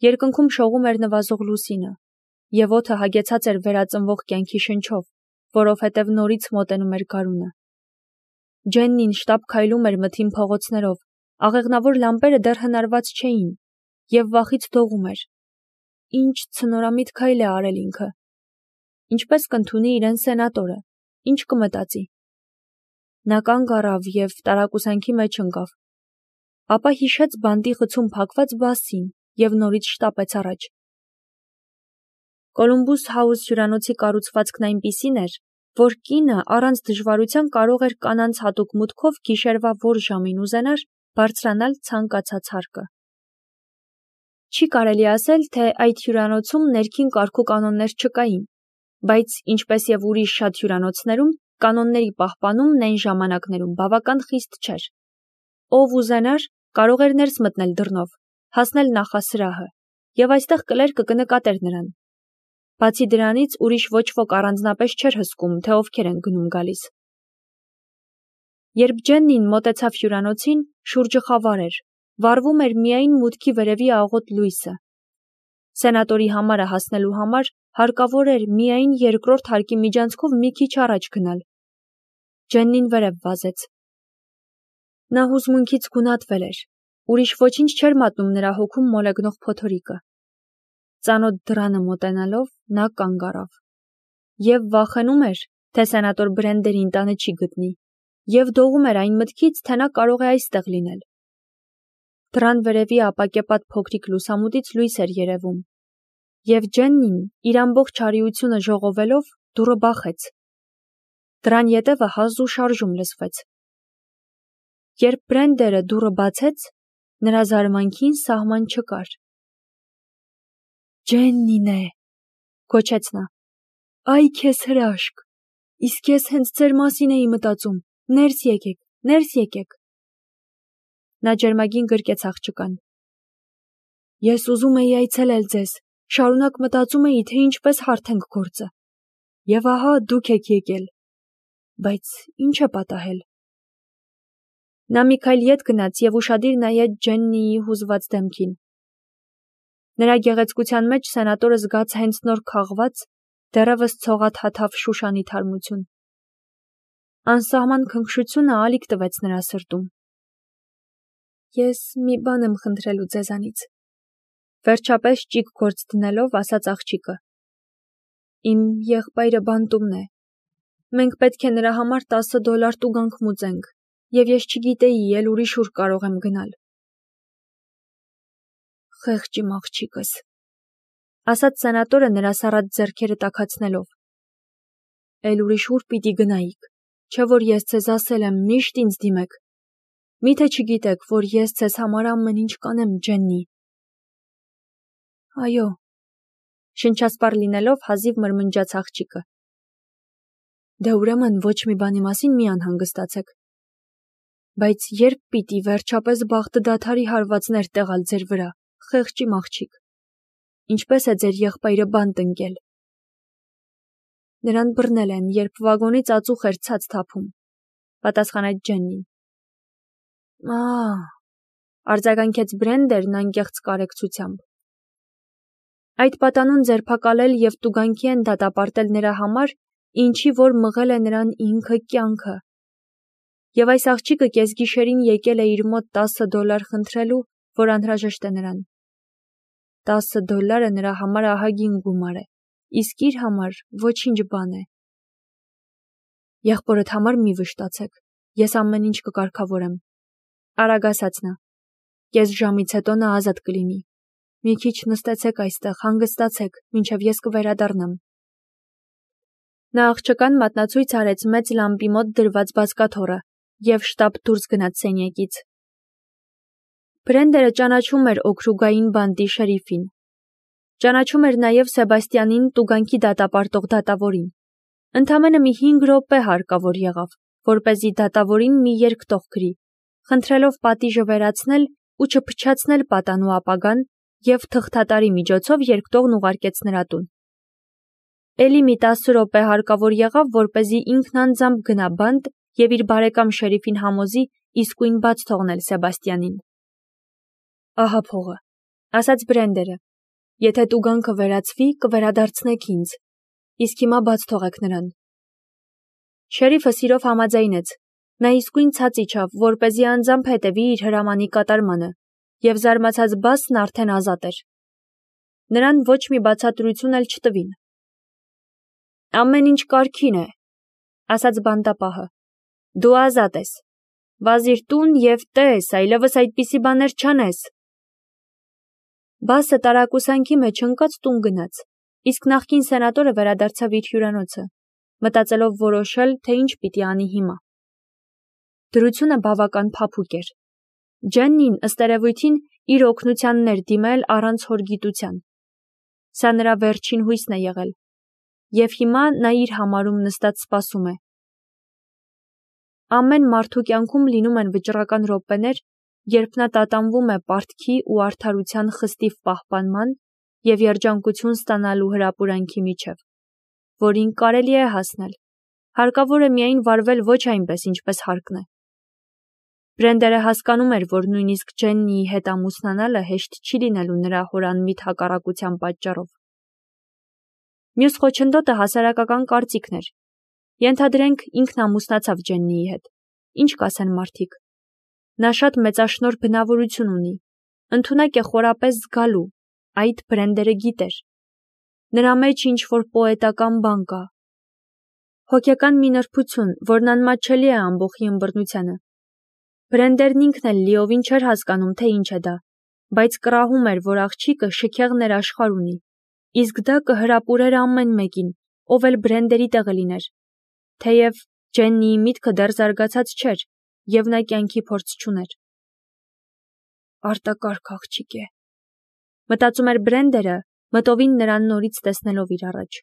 Երկնքում շողում էր նվազող լուսինը, եւ օդը հագեցած էր վերածնվող կյանքի շնչով, որովհետև նորից մոտենում էր գարունը։ Ջեննին շտապ քայլում էր մթին փողոցներով, աղեղնավոր լամպերը դեռ հնարված չէին, եւ վախից դողում էր։ Ինչ ցնորամիտ քայլ է արել ինքը։ Ինչպես կընդունի իրեն սենատորը, ինչ կմտածի։ Նա կանգ առավ եւ տարակուսանքի մեջ ընկավ։ Ապա հիշեց բանտի խցում փակված բասին եւ նորից շտապեց առաջ։ Կոլումբուս Հաուս հյուրանոցի կառուցվածքն այնպիսին էր, որ կինը առանց դժվարության կարող էր կանանց հատուկ մուտքով գիշերվա որ ժամին ուզենար բարձրանալ ցանկացած հարկը։ Չի կարելի ասել, թե այդ հյուրանոցում ներքին կարգու կանոններ չկային, բայց ինչպես եւ ուրիշ շատ հյուրանոցներում, կանոնների պահպանումն այն ժամանակներում բավական խիստ չէր։ Ով ուզենար, կարող էր ներս մտնել դռնով, հասնել նախասրահը, եւ այստեղ կլերկը կնկատեր նրան։ Բացի դրանից ուրիշ ոչ ոք առանձնապես չէր հսկում, թե ովքեր են գնում գալիս։ Երբ Ջեննին մոտեցավ հյուրանոցին, շուրջը խավար էր, վառվում էր միայն մուտքի վերևի աղոտ լույսը։ Սենատորի համարը հասնելու համար հարկավոր էր միայն երկրորդ հարկի միջանցքով մի քիչ առաջ գնալ։ Ջեննին վերև վազեց։ Նա հուզմունքից գունատվել էր, ուրիշ ոչինչ չէր մատնում նրա հոգում մոլեգնող փոթորիկը։ Ծանոթ դռանը մոտենալով նա կանգ առավ եւ վախենում էր, թե սենատոր Բրենդերին տանը չի գտնի, եւ դողում էր այն մտքից, թե նա կարող է այստեղ լինել։ Դռան վերևի ապակեպատ փոքրիկ լուսամուտից լույս էր երևում, եւ Ջեննին իր ամբողջ արիությունը ժողովելով դուռը բախեց։ Դռան ետևը հազ ու շարժում լսվեց։ Երբ Բրենդերը դուռը բացեց, նրա զարմանքին սահման չկար։ Ջեննին է, գոչեց նա։ Այ քեզ հրաշք, իսկ ես հենց ձեր մասին էի մտածում, ներս եկեք, ներս եկեք։ Նա ջերմագին գրկեց աղջկան։ Ես ուզում էի այցելել ձեզ, շարունակ մտածում էի, թե ինչպես հարթենք գործը։ Եվ ահա դուք եք եկել։ Բայց ինչ է պատահել։ Նա մի քայլ ետ գնաց եւ ուշադիր նայեց Ջեննիի հուզված դեմքին։ Նրա գեղեցկության մեջ սենատորը զգաց հենց նոր քաղված, դեռևս ցողաթաթավ Շուշանի թարմություն։ Անսահման քնքշությունը ալիք տվեց նրա սրտում։ Ես մի բան եմ խնդրելու ձեզանից։ Վերջապես ճիգ գործ դնելով ասաց աղջիկը։ Իմ եղբայրը բանտումն է։ Մենք պետք է նրա համար $10 տուգանք մուծենք, եւ ես չգիտեի էլ ուրիշ ուր կարող եմ գնալ։ Խեղճ իմ աղջիկս, ասաց սենատորը նրա սառած ձեռքերը տաքացնելով։ Էլ ուրիշ ուր պիտի գնայիք, չէ որ ես ձեզ ասել եմ միշտ ինձ դիմեք։ Միթե չգիտեք, որ ես ձեզ համար ամեն ինչ կանեմ, Ջեննի։ Այո, շնչասպառ լինելով հազիվ մրմնջաց աղջիկը։ Դե ուրեմն ոչ մի բանի մասին մի անհանգստացեք։ Բայց երբ պիտի վերջապես բախտը դադարի հարվածներ տեղալ ձեր վրա, խեղճ իմ աղջիկ։ Ինչպես է ձեր եղբայրը բանտ ընկել։ Նրան բռնել են, երբ վագոնից ածուխ էր ցած թափում, պատասխանեց Ջեննին։ Արձագանքեց Բրենդերն անկեղծ կարեկցությամբ։ Այդ պատանուն ձերբակալել եւ տուգանքի են դատապարտել նրա համար, ինչի որ մղել է նրան ինքը կյանքը։ Եվ այս աղջիկը կեսգիշերին եկել է իր մոտ $10 խնդրելու, որ անհրաժեշտ է նրան։ $10 նրա համար ահագին գումար է, իսկ իր համար ոչինչ բան է։ Եղբորդ համար մի վշտացեք, ես ամեն ինչ կկարգավորեմ։ Արագ ասաց նա։ Կես ժամից հետո նա ազատ կլինի։ Մի քիչ նստեցեք այստեղ, հանգստացեք, մինչև ես կվերադառնամ։ Նա աղջկան մատնացույց արեց մեծ լամպի մոտ դրված բազկաթոռը եւ շտապ դուրս գնաց սենյակից։ Բրենդերը ճանաչում էր օքրուգային բանտի շերիֆին։ Ճանաչում էր նաեւ Սեբաստյանին տուգանքի դատապարտող դատավորին։ Ընդամենը մի 5 րոպե հարկավոր եղավ, որպեսզի դատավորին մի երկտող գրի, խնդրելով պատիժը վերացնել ու չփչացնել պատանու ապագան եւ թղթատարի միջոցով երկտողն ուղարկեց նրա տուն։ Էլի մի 10 րոպե հարկավոր եղավ, որպեսզի ինքն անձամբ գնա բանտ եւ իր բարեկամ շերիֆին համոզի իսկույն բաց թողնել Սեբաստյանին։ Ահա փողը, ասաց Բրենդերը, եթե տուգանքը վերացվի, կվերադարձնեք ինձ, իսկ հիմա բաց թողեք նրան։ Շերիֆը սիրով համաձայնեց, նա իսկույն ցած իջավ, որպեսզի անձամբ հետևի իր հրամանի կատարմանը, և զարմացած Բասն արդեն ազատ էր։ Նրան ոչ մի բացատրություն էլ չտվին։ Ամեն ինչ կարգին է, ասաց բանտապահը, դու ազատ ես, վազիր տուն և տես, այլևս այդպիսի բաներ չանես։ Բասը տարակուսանքի մեջ ընկած տուն գնաց, իսկ նախկին սենատորը վերադարձավ իր հյուրանոցը, մտածելով որոշել, թե ինչ պիտի անի հիմա։ Դրությունը բավական փափուկ էր։ Ջեննին ըստ երևույթին իր օգնությանն էր դիմել առանց հոր գիտության։ Սա նրա վերջին հույսն է եղել, և հիմա նա իր համարում նստած սպասում է։ Ամեն մարդու կյանքում լինում են վճռական րոպեներ, երբ նա տատանվում է պարտքի ու արդարության խստիվ պահպանման և երջանկություն ստանալու հրապուրանքի միջև, որին կարելի է հասնել, հարկավոր է միայն վարվել ոչ այնպես, ինչպես հարկն է։ Բրենդերը հասկանում էր, որ նույնիսկ Ջեննիի հետ ամուսնանալը հեշտ չի լինելու նրա հորանմիտ հակառակության պատճառով։ Մյուս խոչընդոտը հասարակական կարծիքն էր։ Ենթադրենք ինքն ամուսնացավ Ջեննիի հետ։ Ինչ կասեն մարդիկ։ Նա շատ մեծաշնորհ բնավորություն ունի, ընդունակ է խորապես զգալու, այդ Բրենդերը գիտեր։ Նրա մեջ ինչ-որ պոետական բան կա։ Հոգեկան մի նրբություն, որն անմատչելի է ամբոխի ըմբռնությանը։ Բրենդերն ինքն էլ լիովին չէր հասկանում, թե ինչ է դա, բայց կռահում էր, որ աղջիկը շքեղ ներաշխար ունի, իսկ դա կհրապուրեր ամեն մեկին, ով էլ Բրենդերի տեղը լիներ, թեև Ջեննիի միտքը դեռ զարգացած չէր, և նա կյանքի փորձ չուներ։ Արտակարգ աղջիկ է, մտածում էր Բրենդերը, մտովին նրան նորից տեսնելով իր առաջ։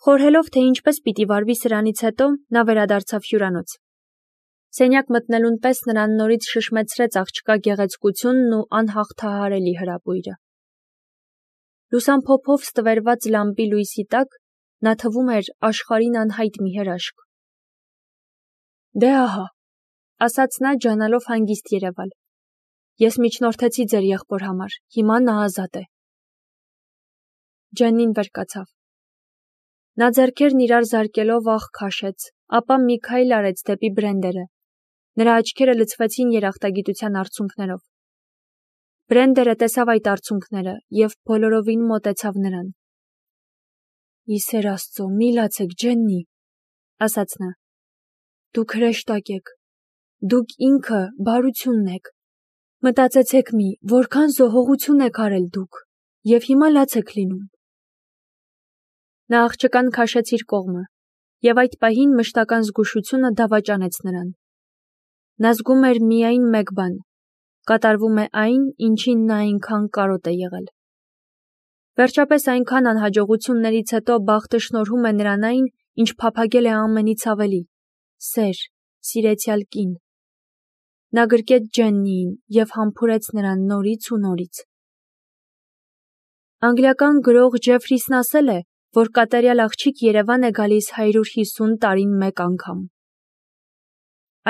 Խորհելով, թե ինչպես պիտի վարվի սրանից հետո, նա վերադարձավ հյուրանոց։ Սենյակ մտնելուն պես նրան նորից շշմեցրեց աղջկա գեղեցկությունն ու անհաղթահարելի հրապույրը։ Լուսամփոփով ստվերված լամպի լույսի տակ նա թվում էր աշխարհին անհայտ մի հրաշք։ Դե ահա, ասաց նա, ջանալով հանգիստ երևալ։ Ես միջնորդեցի ձեր եղբոր համար, հիմա նա ազատ է։ Ջեննին վեր կացավ։ Նա ձեռքերն իրար զարկելով աղ քաշեց, ապա մի քայլ արեց դեպի Բրենդերը։ Նրա աչքերը լցվեցին երախտագիտության արցունքներով։ Բրենդերը տեսավ այդ արցունքները և բոլորովին մոտեցավ նրան։ Ի սեր Աստծո, մի լացեք, Ջեննի, ասաց նա։ Դուք հրեշտակ եք, դուք ինքը բարությունն եք։ Մտածեցեք մի, որքան զոհողություն եք արել դուք, և հիմա լաց եք լինում։ Նա աղջկան քաշեց իր կողմը, և այդ պահին մշտական զգուշությունը դավաճանեց նրան։ Նա զգում էր միայն մեկ բան. կատարվում է այն, ինչին նա այնքան կարոտ է եղել։ Վերջապես այնքան անհաջողություններից հետո բախտը շնորհում է նրան այն, ինչ փափագել է ամենից ավելի՝ սեր, սիրեցյալ կին։ Նա գրկեց Ջեննիին և համբուրեց նրան նորից ու նորից։ Անգլիական գրող Ջեֆրիսն ասել է, որ կատարյալ աղջիկ Երևան է գալիս 150 տարին մեկ անգամ։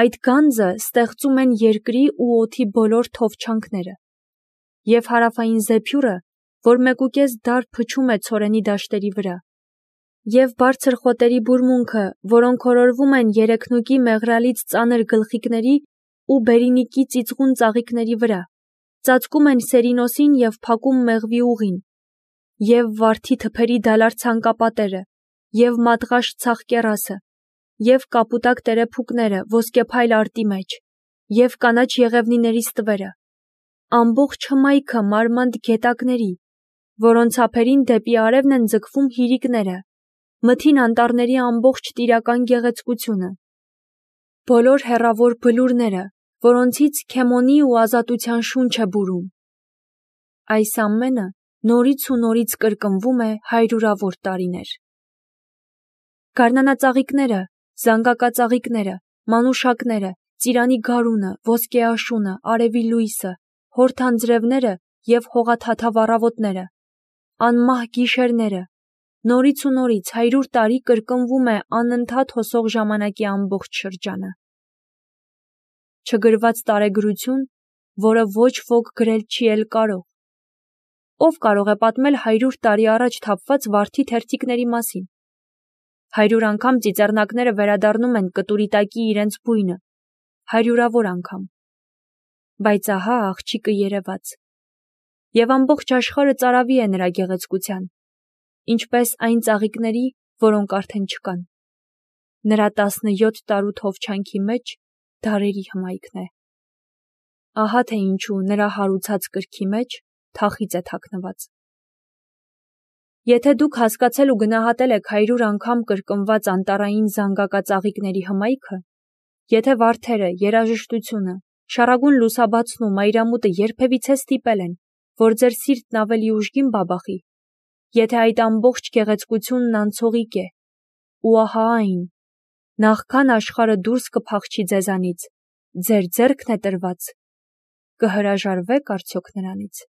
Այդ գանձը ստեղծում են երկրի ու օդի բոլոր թովչանքները, և հարավային զեփյուրը, որ 1.5 դար փչում է ցորենի դաշտերի վրա, և բարձր խոտերի բուրմունքը, որոնք օրորվում են երեքնուկի մեղրալից ծանր գլխիկների ու բերինիկի ծիծղուն ծաղիկների վրա, ծածկում են Սերինոսին և փակում մեղվի ուղին, և վարդի թփերի դալար ցանկապատերը, և մատղաշ ցախ կեռասը, և կապուտակ տերեփուկները ոսկեփայլ արտի մեջ, և կանաչ եղևնիների ստվերը, ամբողջ հմայքը մարմանդ գետակների, որոնց ափերին դեպի արևն են ձգվում հիրիկները, մթին անտառների ամբողջ տիրական գեղեցկությունը, բոլոր հեռավոր բլուրները, որոնցից Քեմոնի ու ազատության շունչ է բուրում։ Այս ամենը նորից ու նորից կրկնվում է հարյուրավոր տարիներ։ Գարնանածաղիկները, զանգակածաղիկները, մանուշակները, ծիրանի գարունը, ոսկե աշունը, արևի լույսը, հոր թանձրևները և հողաթաթավ առավոտները, անմահ գիշերները, նորից ու նորից 100 տարի կրկնվում է անընդհատ հոսող ժամանակի ամբողջ շրջանը։ Չգրված տարեգրություն, որը ոչ ոք գրել չի էլ կարող։ Ով կարող է պատմել 100 տարի առաջ թափված վարդի թերթիկների մասին։ 100 անգամ ծիծեռնակները վերադառնում են կտուրի տակի իրենց բույնը, 100-ավոր անգամ։ Բայց ահա աղջիկը երևաց։ Եվ ամբողջ աշխարհը ծարավի է նրա գեղեցկության, ինչպես այն ծաղիկների, որոնք արդեն չկան։ Նրա 17 տարու թովչանքի մեջ դարերի հմայքն է։ Ահա թե ինչու նրա հարուցած կրքի մեջ թախիծ է թաքնված։ Եթե դուք հասկացել ու գնահատել եք 100 անգամ կրկնված անտառային զանգակածաղիկների հմայքը, եթե վարդերը, երաժշտությունը, շառագուն լուսաբացն ու մայրամուտը երբևիցե ստիպել են, որ ձեր սիրտն ավելի ուժգին բաբախի, եթե այդ ամբողջ գեղեցկությունն անցողիկ է, ու ահա այն, նախքան աշխարհը դուրս կփախչի ձեզանից, ձեր ձեռքն է տրված, կհրաժարվե՞ք արդյոք նրանից։